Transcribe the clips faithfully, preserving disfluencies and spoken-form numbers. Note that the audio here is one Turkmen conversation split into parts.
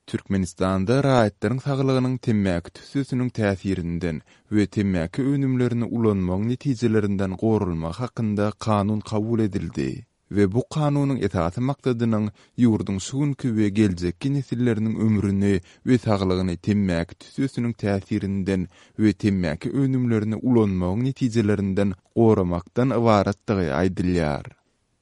Türkmenistanda raýatlaryň saglygynyň temmäki tüssesiniň täsirinden we temmäki önümlerini ulanmagyň netijelerinden goralmagy hakynda kanun kabul edildi we bu kanunyň esasy maksadynyň ýurduň şu günki we geljekki nesilleriniň ömrüni we saglygyny temmäki tüssesiniň täsirinden we temmäki önümlerini ulanmagyň netijelerinden goramakdan ybaratdygy aýdylýar.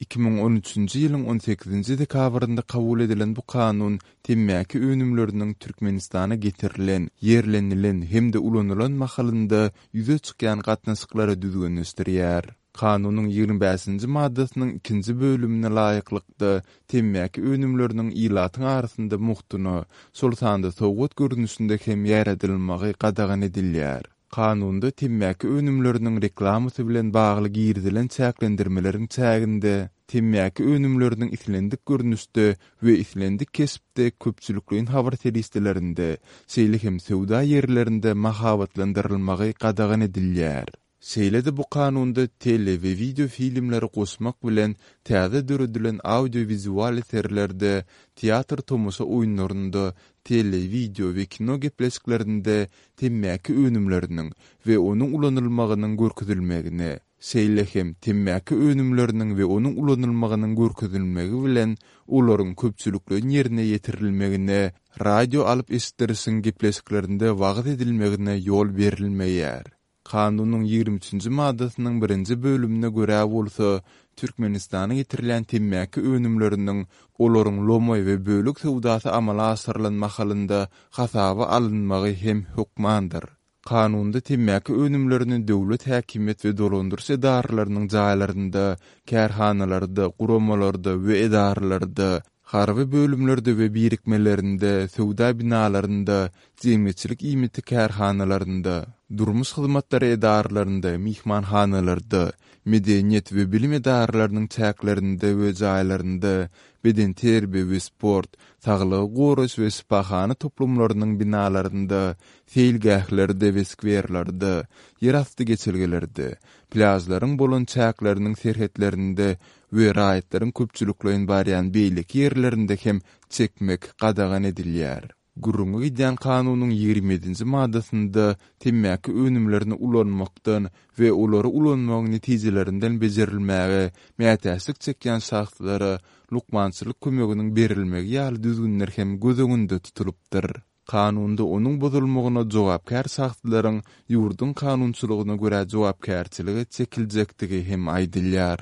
Iki müň on üçünji ýylyň on sekizinji dekabrynda kabul edilen bu kanun temmäki önümleriniň Türkmenistana getirilen, ýerlenilen hem-de ulanylan mahalynda ýüze çykýan gatnaşyklary düzgünleşdirýär. Kanunyň ýigrimi bäşinji maddasynyň ikinji bölümine laýyklykda temmäki önümleriniň ilatyň arasynda mugtuna, şol sanda sowgat görnüşinde hem ýaýradylmagy gadagan edilýär. Kanunda temmäki önümleriniň reklamasy bilen bagly girizilen çäklendirmeleriň çäginde temmäki önümleriniň islendik görnüşde we islendik keşpde köpçülikleýin habar serişdelerinde, şeýle hem söwda ýerlerinde mahabatlandyrylmagy gadagan edilýär. Şeýle-de bu kanunda tele we wideo filmleri goşmak bilen täze döredilen audiowizual eserlerde, teatr tomaşa oýunlarynda, tele, wideo we kino gepleşiklerinde temmäki önümleriniň we onuň ulanylmagynyň görkezilmegine, şeýle hem temmäki önümleriniň we onuň ulanylmagynyň görkezilmegi bilen olaryň köpçülikleýin ýerine ýetirilmegine, radio alyp eşitdirişiň gepleşiklerinde wagyz edilmegine ýol berilmeýär. Kanunyň ýigrimi üçünji maddasynyň birinji bölümine görä bolsa, Türkmenistana getirilýän temmäki önümleriniň olaryň lomaý we bölek söwdasy amala aşyrylan mahalynda hasaba alynmagy hem hökmandyr. Kanunda temmäki önümlerini döwlet häkimiýet we dolandyryş edaralarynyň jaýlarynda, kärhanalarda, guramalarda we edaralarda, harby bölümlerde we birikmelerinde, söwda binalarynda, jemgyýetçilik iýmiti kärhanalarynda, durmuş hyzmatlary edaralarynda, myhmanhanalarda, medeniýet we bilim edaralarynyň çäklerinde we jaýlarynda, bedenterbiýe we sport, saglygy goraýyş we şypahana toplumlarynyň binalarynda, seýilgählerde we skwerlerde, ýerasty geçelgelerde, plýažlaryň bolan çäkleriniň serhetlerinde we raýatlaryň köpçülikleýin barýan beýleki ýerlerinde hem çekmek gadagan edilýär. Gürrüňi gidýän kanunyň ýigrimi ýedinji maddasynda temmäki önümlerini ulanmakdan we olary ulanmagyň netijelerinden bejerilmäge mätäçlik çekýän şahslara lukmançylyk kömeginiň berilmegi ýaly düzgünler hem göz öňünde tutulypdyr. Kanunda onuň bozulmagyna jogapkär şahslaryň ýurduň kanunçylygyna görä jogapkärçilige çekiljekdigi hem aýdylýar.